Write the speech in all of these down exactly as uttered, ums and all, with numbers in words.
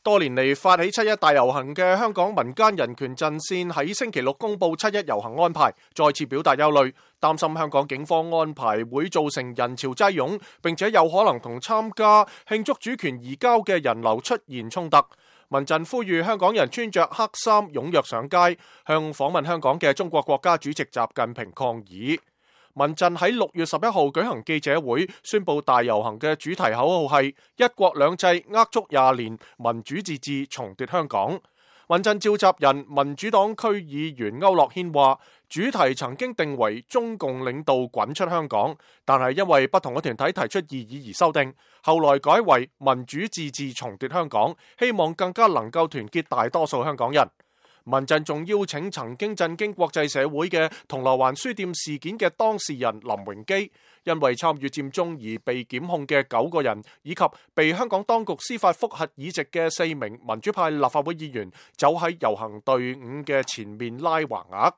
多年嚟發起七一大遊行嘅香港民間人權陣線喺星期六公布七一遊行安排，再次表達憂慮，擔心香港警方安排會造成人潮擠擁，並且有可能同參加慶祝主權移交嘅人流出現衝突。民陣呼籲香港人穿着黑衫踴躍上街，向訪問香港嘅中國國家主席習近平抗議。民陣喺六月十一號舉行記者會，宣布大遊行嘅主題口號係一國兩制握足廿年，民主自治重奪香港。民陣召集人民主黨區議員區諾軒話，主題曾經定為中共領導滾出香港，但係因為不同嘅團體提出異議而修訂，後來改為民主自治重奪香港，希望更加能夠團結大多數香港人。民陣仲邀請曾經震驚國際社會嘅銅鑼灣書店事件嘅當事人林榮基，因為參與佔中而被檢控嘅九個人，以及被香港當局司法覆核議席嘅四名民主派立法會議員，走喺遊行隊伍嘅前面拉橫額。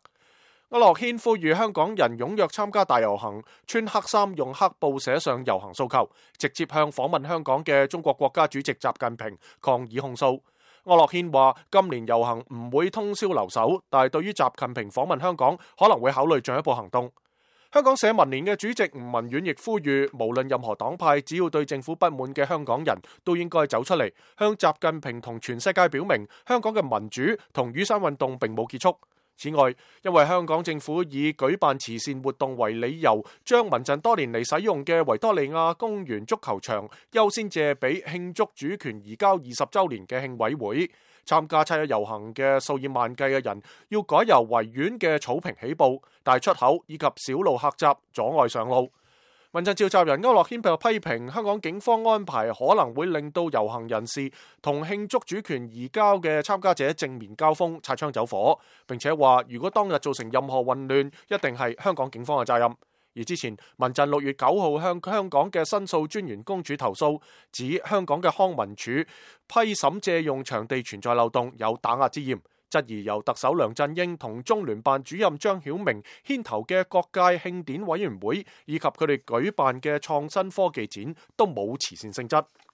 區諾軒呼籲香港人踴躍參加大遊行，穿黑衫用黑布寫上遊行訴求，直接向訪問香港嘅中國國家主席習近平抗議控訴。區諾軒話：今年遊行唔會通宵留守，但係對於習近平訪問香港，可能會考慮進一步行動。香港社民連嘅主席吳文遠亦呼籲，無論任何黨派，只要對政府不滿嘅香港人都應該走出嚟，向習近平同全世界表明，香港嘅民主同雨傘運動並冇結束。此外，因為香港政府以舉辦慈善活動為理由，將民陣多年嚟使用嘅維多利亞公園足球場優先借俾慶祝主權移交二十週年嘅慶委會。參加七一遊行嘅數以萬計嘅人要改由維園嘅草坪起步，但出口以及小路狹窄，阻礙上路。民陣召集人區諾軒就批評香港警方安排可能會令到遊行人士同慶祝主權移交嘅參加者正面交鋒，擦槍走火，並且話如果當日造成任何混亂，一定係香港警方嘅責任。而之前民陣六月九號向香港嘅申訴專員公署投訴，指香港嘅康文署批審借用場地存在漏洞，有打壓之嫌，質疑由特首梁振英同中聯辦主任張曉明牽頭嘅各界慶典委員會以及佢哋舉辦嘅創新科技展都冇慈善性質。